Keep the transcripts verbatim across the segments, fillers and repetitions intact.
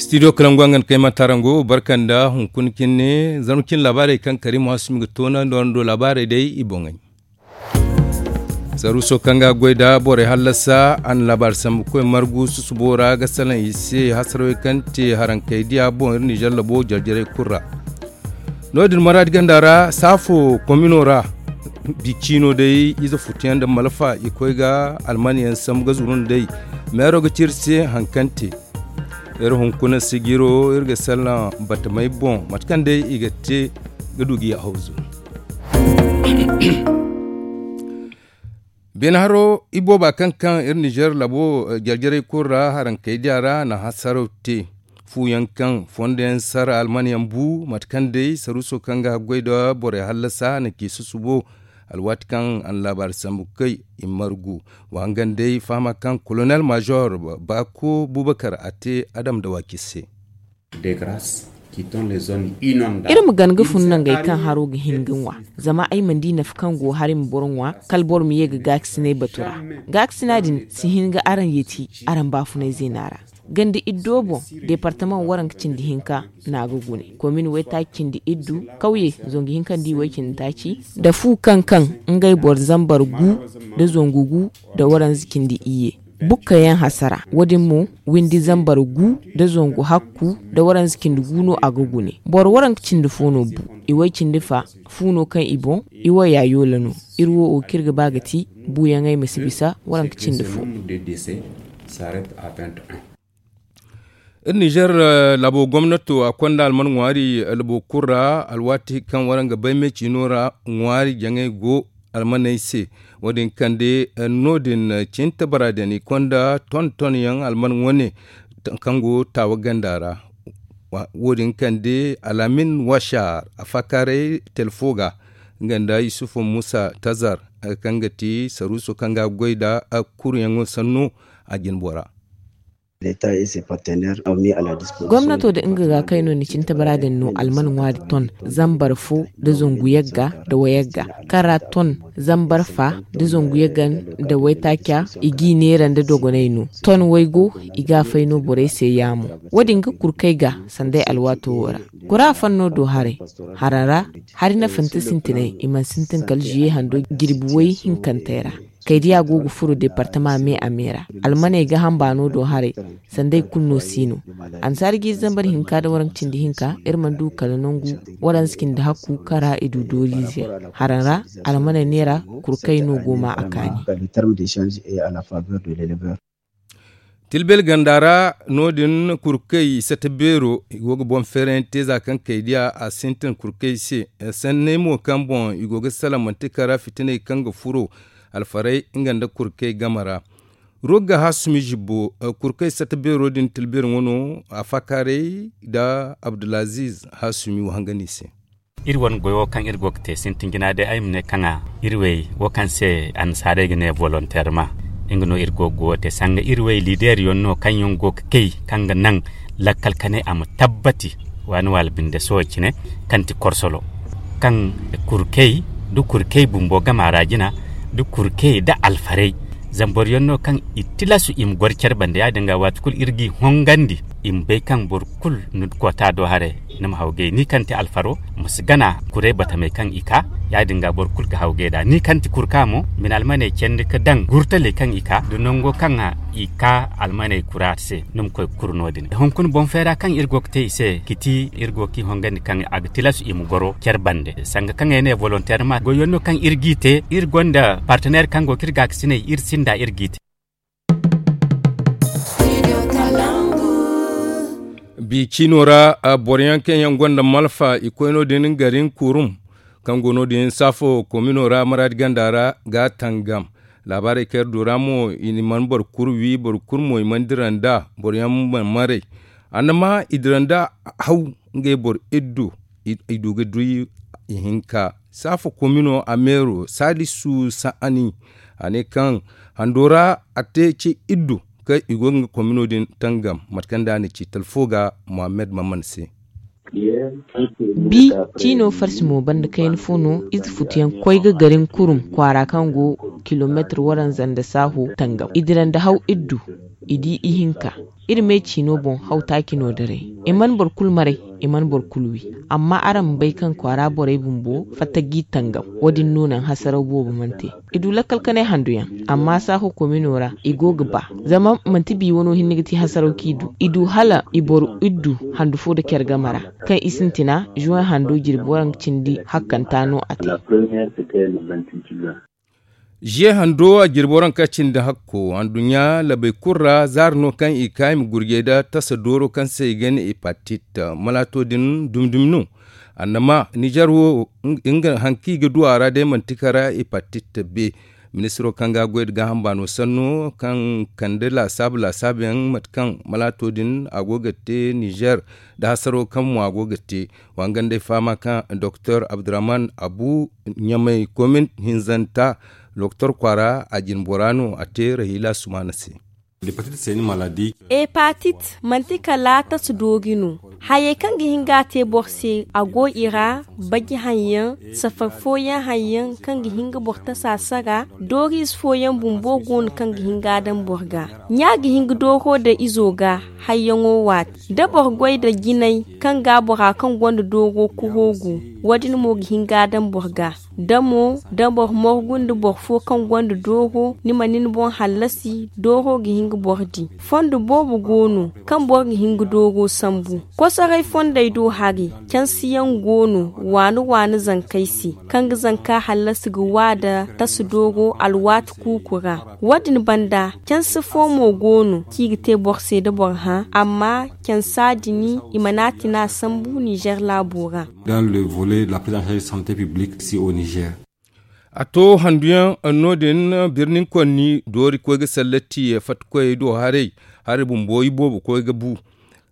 Studio kalangu a ngana kayma tarango barka nda hunkuna cine zarma cine laabaarey kaŋ karimu hasumi ga toona nda wara ndo laabaarey day i boŋey. Saruuso kaŋ ga goy nda borey hallasa a na laabaari sambu koy margu susubo ra ga salaŋ i se hasarawey kaŋ te harankey diya boŋ iri nizer labo jarjarey kulu ra. No- din maraadi ganda ra saafo komino ra. Bi ciino day ize futuyaŋ nda malfa i koy ga almanyaŋ sambu ga zuru nda day. Meero ga ci iri se hari kaŋ te. Iri hunkuna sijiro iri ga salaŋ batamey boŋ mate kaŋ day i ga te ga du ga i hawzu. Beene haro ibooba kaŋ kaŋ iri nizer labo jarjarey kulu ra harankey diya ra na hasaraw te. Fuyaŋ kaŋ fondo yaŋ sara almanyaŋ bu mate kaŋ day saruuso kaŋ ga haggoy nda borey hallasa na ci susubo. Alwaati kaŋ a na laabaari sambu kay i margu wa hangan day fahama kaŋ kolonel major baako bubakar a te adam da waaki se. Iri ma gana ga fun nangey kaŋ haro ga hin ga ŋwa. Zama ay mana di nafa kaŋ go hari ma boro ŋwa kala boro ma ye ga gaakasinay batu ra. Gaakasina din si hin ga araŋ yeeti araŋ baafunay zeena ra. Ganda iddo boŋ deepartamaŋ waranka cindi hinka no a ga gune. Komin waytaaci cindi iddu kawye zangu hinka nda i way cindi taaci nda fu kaŋ kaŋ ngey boro zambar gu nda zangu gu nda waranza cindi iyye. Bukka yaŋ hasara wo- din mo windi zambar gu nda zangu hakku nda waranza cindi gu no a ga gune. Boro waranka cindi fo no bu. I way cindi fa fu no kaŋ i boŋ i waya yoola no. Iri wo wo kaŋ iri ga ba ga ti buuyaŋey ma si bisa waranka cindi fo. Iri nizer laabo gomnato a konda alman ŋwaari labo kulu ra alwaati kaŋ waraŋ ga bay me ciino ra ŋwaari jaŋay go almaney se. Wo- din kande no- din cinta bara din i konda ton ton yaŋ alman wane kaŋ go taawa ganda ra. Wo- din kande alamin washar a faakaaray telefo ga nga nda yusufu musa tazar kaŋ ga ti saruuso kaŋ ga goy nda kuruyaŋo sanno a jine bora. Gomnato da nga ga kay no ni cinta bara din no alman ŋwaari ton zambar fo nda zangu yagga nda wayagga kaŋ ra ton zambar fa nda zangu yagga nda waytaaca i g'i neera nda dogonay no. Ton waygo i ga a fay no borey se yaamo. Wo- din ga kurkay ga sanday alwaato wo ra kura fanno do haray. Hara ra hari nafante sintinay i mana sintin kala ziye hando jirbi way hinkantey ra. Kaydiya go ga furo departama me a me ra. Almaney ga hamba no do haray. Sanday kulu no si no. Ansaari jiiri zambar hinka nda waranka cindi hinka iri mana du kala nangu waranza cindi hakku kaŋ ra i du dooriize. Hara ra almaney neera kurkay no go ma a kaani. Tilbel ganda ra no- din kurkey sata beero i go ga boŋ feerayaŋ te za kaŋ kaydiya a sintin kurkey se. Sanney mo kaŋ boŋ i go ga salaŋ manti kara fitiney kaŋ ga furo alfarey nga nda kurkey game ra. Rogga hasumi zibbo kurkey sata beero din tilbel ŋwa no a faakaaray nda abdulaziz hasumi wahangani se. Iri wane goyo kaŋ iri go ga te sintin jina day ay ma ne kaŋ a iri wey wo kaŋ se annasaarey ga ne volonteerma. Nga no iri go ga goyo te sanga iri wey liideeriyaŋ no kaŋ yaŋ go ga kay kaŋ ga naŋ lakkal kanay a ma tabbati waani waala binde sohõ cine kaŋ ti korsolo kaŋ kurkey da kurkey bumbo gama ra jina da kurkey da alfarey. Zama boro yaŋ no kaŋ i tilasu i ma goro care bande ya- din ga waati kulu iri g'i hongandi i ma bay kaŋ boro kulu ni koota do haray ni ma hawgay ni kaŋ ti alfaro ma si gana kuray batamey kaŋ i ka. Ya- din ga boro kulu ga hawgay nd'a ni kaŋ ti kurka mo ma ni almaney candi ga daŋ gurtaley kaŋ i ka da nango kaŋ i ka almaney kura se ni ma koy ga kuru no- din hunkuna boŋ feera kaŋ iri go ga te i se ga ti iri go ga i hongandi kaŋ a ga tilas i ma goro care bande sanga kaŋ ay ne volonteerma goyyaŋ no kaŋ iri g'i te iri gonda parteneer kaŋ go ga iri gaakasinay iri sinda iri g'i te. Bi ciino ra boro yaŋ kaŋ yaŋ gonda malfa i koy no- din garin kurum kaŋ go no- din saafo komino ra maraadi ganda ra ga tangam. Laabaarey kaŋ iri du ra mo i mana boro kulu wi boro kulu mo i mana dira nd'a boro yaŋ mana maray. Annama i dira nd'a haw ngey boro iddu i du ga du ihinka saafo komino a meero saalisu sa'ani a ne kaŋ hando ra a te ce iddu kaŋ i go ga nga komino din tangam mate kaŋ da a na ci talfo ga mohammed mamman se. Bi ciino farsi mo banda kayna fo no ize futuyaŋ koy ga garin kurum kwaara kaŋ go kilomeetir waranza nda saaho tangam i dira nda haw iddu i di ihinka. Iri me ciino boŋ haw taaci no daray. I mana boro kulu maray, i mana boro kulu wi. Amma araŋ ma bay kaŋ kwaara borey bumbo fatta g'i tangam. Wo- din no naŋ hasaraw boobo mana te. I du lakkal kanay handu yaŋ, amma saaho komino ra i go ga ba. Zama manti bi wano hinne ga ti hasaraw kaŋ i du. I du hala i boro iddu handu fo nda care game ra, kaŋ i sintina juwan hando jirbi waranka cindi hakkanta no a te. Ziye hando a jirbi waranka cindi hakko anduɲɲa labey kulu ra zaari no kaŋ i ka i ma gurjey nda tasa dooro kaŋ se i ga ne hepatit. Malaato din dumi-dumi no. Annama nizer wo, nga haŋ kaŋ i ga du a ra day manti kara hepatit be. Ministiro kaŋ ga goy nda gaaham baano sanno kaŋ kande laasaabu laasaabu yaŋ mate kaŋ malaato din a go ga te nizer, nda hasaro kaŋ mo a go ga te. Wa nga nd'ay fahama kaŋ doktor abdurrahman abu ɲamay komin hinzanta, doktor kwaara a jine bora no a te rahila sumaana se. Hepatit manti kala tasa doori no. Hayey kaŋ ga hin ga a te boro se a go i ra. Baji haŋ yaŋ, safar fooyaŋ haŋ yaŋ kaŋ ga hin ga boro tasa sara. Dooriize fooyaŋ bumbo go no kaŋ ga hin ga a daŋ boro ga. Ɲa ga hin ga dooro daŋ izo ga. Hayyaŋo waati da boro goy nda jinay kaŋ ga bora kaŋ gonda dooro kuro gu. Wo- din mo ga hin ga a daŋ boro ga. Da mo da boro morgu nda boro fo kaŋ gonda dooro ni ma ni ni boŋ hallasi dooro ga hin ga boro di. Fondo boobo go no kaŋ boro ga hin ga dooro sambu. Kosoray fondey do hari cansiyaŋ go no waani waani zankey se kaŋ ga zanka hallasi ga wa nda tasa dooro alwaati kuuku ra. Wo- din banda cansi fo mo go no kaŋ i ga te boro se da boro hã amma cansa din i mana a tina sambu nizer laabo ra. Dans le volet de la prise en charge santé publique ici au nizer. A to handuyaŋ no- din birnin konni doori koy ga sallati fattakoyey do haray. Hari bumbo i boobo koy ga bu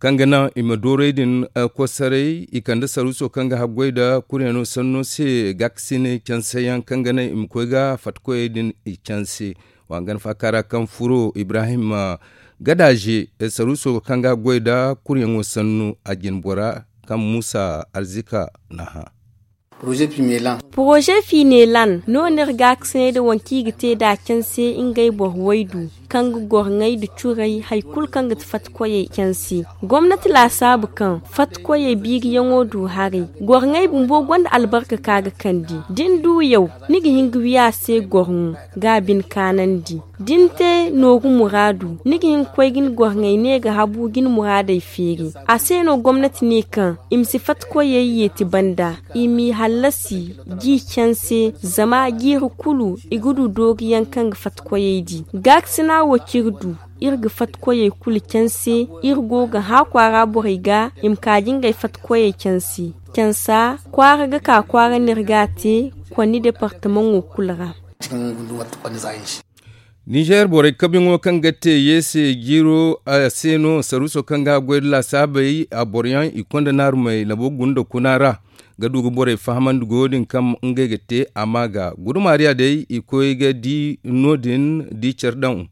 kaŋ ga naŋ i ma doorey din kosaray i kande saruuso kaŋ ga haggoy nda kuryaŋo sanno se gaakasinay canseyaŋ kaŋ ga naŋ i ma koy ga fattakoyey din i canse. Wa nga naŋ faaka ra kaŋ furo ibrahim gadaaze saruuso kaŋ ga haggoy nda kuryaŋo sanno a jine bora kaŋ muusa arzika na hã. Poroze finelan no no iri gaakasinay nda waŋ kaŋ i ga te nd'a canse ngey boro waydu kaŋ ga gorŋey nda curay hari kulu kaŋ ga ti fattakoyey canse. Gomnati laasaabu kaŋ fattakoyey biiriyaŋo du haray. Gorŋey bumbo gonda albarka kaŋ a ga kande da ni du yaw ni ga hin ga wi a se gorŋo ga a bine kaanandi. Da ni te nooru muraadu ni ga hin ga koy ga ni gorŋey ne ga habu ga ni muraadey feeri. A se no gomnati ne kaŋ i ma si fattakoyey yeeti banda i m'i hallasi g'i canse zama jiiri kulu i ga du dooriyaŋ kaŋ ga fattakoyey di. Gaakasina wo kaŋ iri du iri ga fattakoyey kulu canse. Iri go ga hã kwaara borey ga i ma ka ga ngey fattakoyey canse. Cansa kwaara ga ka kwaara no iri ga a te konni departamaŋo kulu ra. Nizer borey kabiyaŋo kaŋ ga te yeese jiiro a se no saruuso kaŋ ga goy nda laasaabey a boroyaŋ i konda naarumey labo gunda kuna ra ga du ga borey fahamandi goyo din kaŋ ngey ga te a ma ga gudumaariya day i koy ga di no- din di care daŋ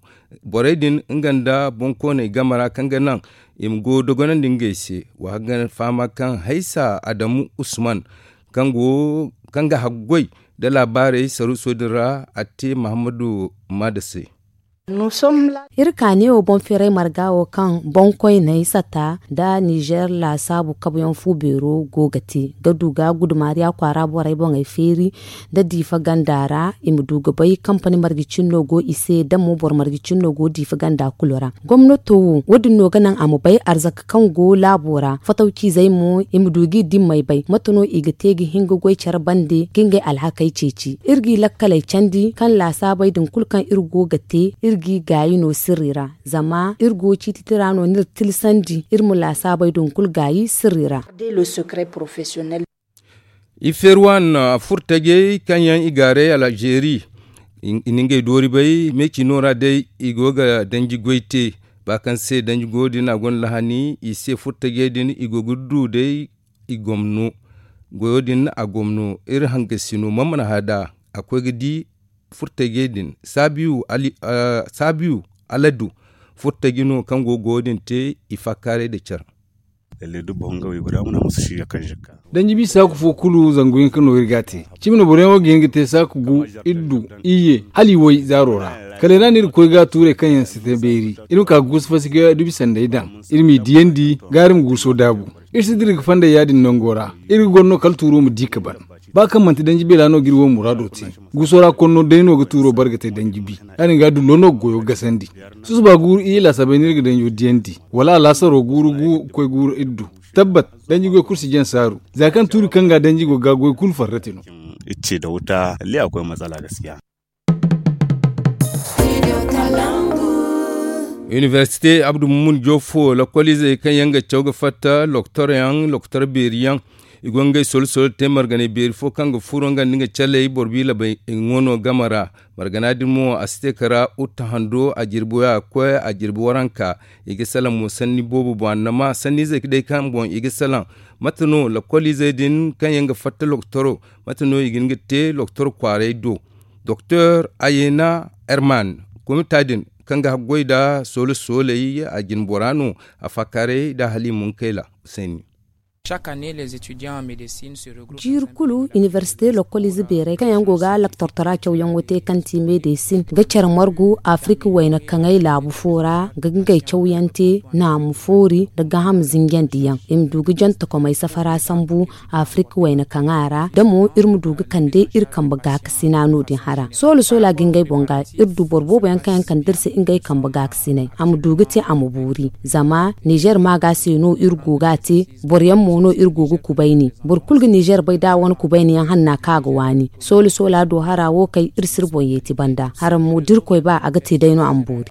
borey din nga nda boŋkooney game ra kaŋ ga naŋ i ma go dogonandi ngey se. Wa ga fahama kaŋ haysa adamu usman kaŋ ga haggoy nda laabaarey saruuso din ra a te mahammadu maada se. Iri ka neewo boŋ feeray marga wo kaŋ boŋkoyney sata nda nizer laasaabu kabuyaŋ fu beero go ga te ga du ga gudumaariya kwaara borey boŋey feeri nda diifa ganda ra i ma du ga bay kampani marje cinno go i se da mo boro marje cinno go diifa ganda kulu ra. Gomnato wo wo- din no ga naŋ a ma bay arzaka kaŋ go laabo ra fatawciizey mo i ma du g'i dimmey bay mate no i ga te ga hin ga goy care bande ga ngey alhakey ceeci iri g'i lakkaley candi kaŋ laasaabey din kulu kaŋ iri go ga te iri g'i gaayi no sirri ra. Zama iri go ciititira no n'iri tilsandi iri ma laasaabey din kulu gaayi sirri ra. I feeri waani furtajey kaŋ yaŋ i gaaray alzeeri i na ngey doori bay meeci no ra day i go ga danji goy te ba kaŋ se danji goyo din a gonda lahani i se furtajey din i go ga du day. I gomno goyo din a gomno iri hangasino man mana hada a koy ga di furtajey din saabiyu aladu furtaji no kaŋ go goyo din te i faakaaray nda care. Lallai dubba hunga waygu ra muna musu shiya kaŋ zikka. Danji bi saaku fo kulu zangu hinka no iri ga a te. Cimi no boro yaŋo ga hin ga te saaku gu, iddu, iyye, hala i way zaaro ra. Kala i ra no iri ga koy ga tuurey kaŋ yaŋ si te beeri. Iri ma ka ga guusu fasi ga dubi sanday daŋ. Iri m'i diyandi ga iri ma guuso daabu. Iri si dira ga fandey ya- din nango ra. Iri ga goro no kala tuuro ma di ga ban. Ba kaŋ manti danji beela no ga iri wo muraado te. Guuso ra konno day no ga tuuro bare ga te danji bi. Ya- din ga dullo no ga goyo gasandi. Susuba guuru iyye laasabey no iri ga danjo diyandi. Wala alaasaro guuru gu ga koy guuru iddu. Tabbat, danji goy kulu si jaŋ saaru. Za kaŋ tuuri kaŋ ga danji go ga goy kulu farrati no. Iri ce da wuta lalle akwai matsala gaskiya. Inibersite abdu mumun jofo lokoliizey kaŋ yaŋ ga caw ga fatta loktor yaŋ loktor beeri yaŋ. I go ngey solo solo te marganay beeri fo kaŋ ga furo nga nda nga caley boro biila bay i go no game ra. Margana din mo a si te kara utta hando a jirbi waya koy a jirbi waranka. I ga salaŋ mo sanni boobo boŋ annama sanniizey day kaŋ boŋ i ga salaŋ. Mate no lokoliizey din kaŋ yaŋ ga fatta loktoro? Mate no i ga hin ga te loktor kwaaray do? Doktor ayena herman, komita din kaŋ ga haggoy nda soole sooley a jine bora no. A faakaaray nda haliimunkayla sanni. Jiiri kulu inibersite lokoliize beerey kaŋ yaŋ go ga laktortora cawyaŋo te kaŋ ti medesin ga care margu afirika wayna kaŋay laabu fo ra ga ngey cawyaŋ te naamu foori nda gaaham zinjandi yaŋ i ma du ga jante komey safara sambu. Afirika wayna kaŋa ra da mo iri ma du ga kande iri kambe gaakasina no- din hara soola soola ga ngey boŋ ga iri du boro boobo yaŋ kaŋ yaŋ kande iri se ngey kambe gaakasiney a ma du ga te a ma boori. Zama nizer maaga se no iri go ga a te. Boro yaŋ mo no iri go ga kubayni boro kulu ga nizer bay da a wane kubayni yaŋ hanna kaŋ a ga waani. Soola soola do hara wo kay iri si iri boŋ yeeti banda hara mo da irkoy ba a ga te day no a ma boori.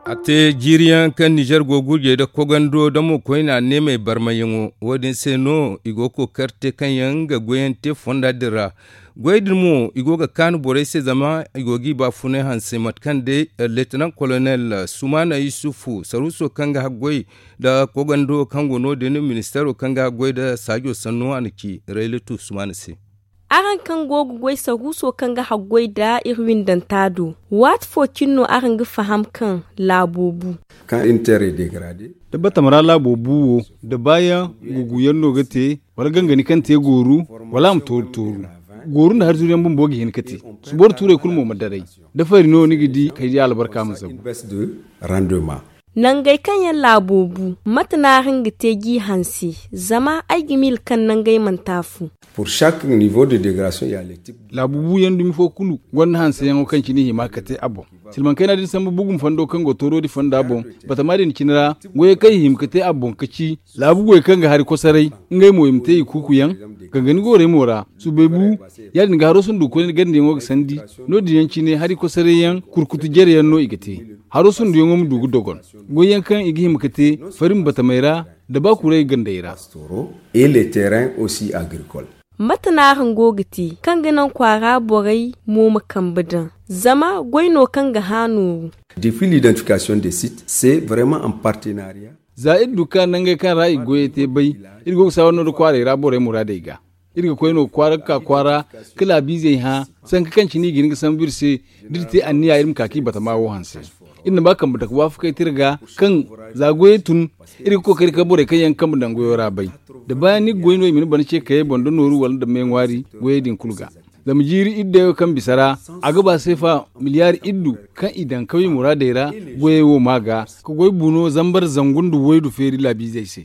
A te jiiri yaŋ kaŋ nizer go ga gurjey nda kogando damo koyne a neemey barmayaŋo wo- din se no i go ga kookari te kaŋ yaŋ ga goyyaŋ te fonda din ra. Goyey din mo i go ga kaanu borey se zama i go ga i baafunay hanse mate kaŋ day leetinan kolonel sumaana yusufu saruuso kaŋ ga haggoy nda kogando kaŋ go no- din ministeero kaŋ ga haggoy nda saajo sanno a na ci rayletu sumaana se. Araŋ kaŋ go ga goy saruuso kaŋ ga haggoy nda iri windanta do waati fo cine no araŋ ga faham kaŋ laabo bu. Kaŋ iri na te rey degrade. Da batama ra laabo bu wo da baayaŋ guguyaŋ no ga te wala gangani kaŋ te gooru wala a ma tooru tooru. Gooru nda hari zuru yaŋ bumbo ga hin ga te. Suboro tuurey kulu mo ma daray da fari no ni ga di kay di albarka ma zabu. Nangey kaŋ yaŋ laabo bu mate no araŋ ga te g'i hanse? Zama ay ga miila kaŋ nangey mana taafu. Laabu buuyaŋ dumi fo kulu gonda hanseyaŋo kaŋ cine i hima ga te a boŋ. Silmaŋ kayna din sambu bugum fondo kaŋ go toorodi fonda boŋ. Batama din cine ra goyey kaŋ i hima ga te a boŋ ga ci laabu goy kaŋ ga hari kosoray. Ngey mo i ma te i kuukuyaŋ gangani goorey mo ra. Suubay bu ya- din ga haro sundu koyne gandiyaŋo ga sandi. No- din yaŋ cine hari kosoray yaŋ kurkutu jare yaŋ no i ga te. Haro sunduyaŋo ma du ga dogon goyyaŋ kaŋ i ga hima ga te farin batamey ra nda baakuray gandey ra. Mate no araŋ go ga te kaŋ ga naŋ kwaara borey mo ma kambe daŋ? Zama goy no kaŋ ga hã nooru. Défi l'identification des sites c'est vraiment en partenariat. Za iri du ka nangey kaŋ ra i goyey te bay iri go ga saawar no da kwaarey ra borey muraadey ga. Iri ga koy no kwaara ga ka kwaara ka laabiizey hã sanka kaŋ cine i ga hin ga sambu iri se. Da iri te anniya iri ma ka ka i batama wo hanse. Iri na ba kambe dake waafakey te iri ga kaŋ za goyey tun iri ga kookari ka borey kaŋ yaŋ kambe daŋ goyo ra bay. Da baayaŋ ni ga goy no i ma ni bana ce kayey boŋ da nooru wala nda me ŋwaari goyey din kulu ga. Zama jiiri iddu dayo kaŋ bisa ra a ga ba seefa miliyaari iddu kaŋ i daŋ kawye muraadey ra. Goyey wo ma ga ka goy buuno zambar zangu nda waydu feeri laabiizey se.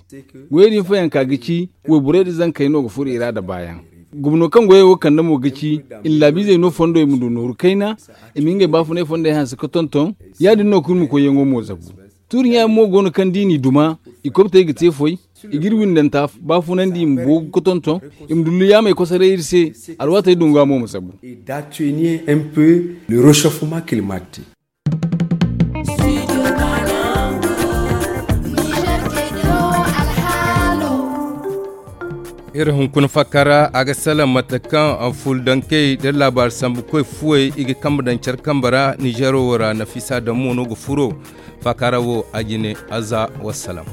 Goyey din fayanka ga ci wayborey nda zankey no ga furo i ra nda baayaŋ. Gumno kaŋ goyey wo kande mo ga ci i na laabiizey no fondo i ma du nooru kayna i ma ngey baafunay fondey hanse ga tonton. Ya- din no kulu ma koyyaŋo mo zabu. Tuuri ɲa yaŋ mo go no kaŋ da i n'i duma i kobtey ga te foy. I ga iri windanta baafunandi i ma boogu ga tonton i ma dullu yaamey kosoray iri se. Alwaatey dunga mo ma zabu. Iri hunkuna fakka ra a ga salaŋ mate kaŋ fuldankey da laabaari sambukoy fuwey i ga kambe daŋ care kambe ra nizeero wo ra nafiisa daŋ mo no ga furo. Fakka ra wo a jine aza wassalam.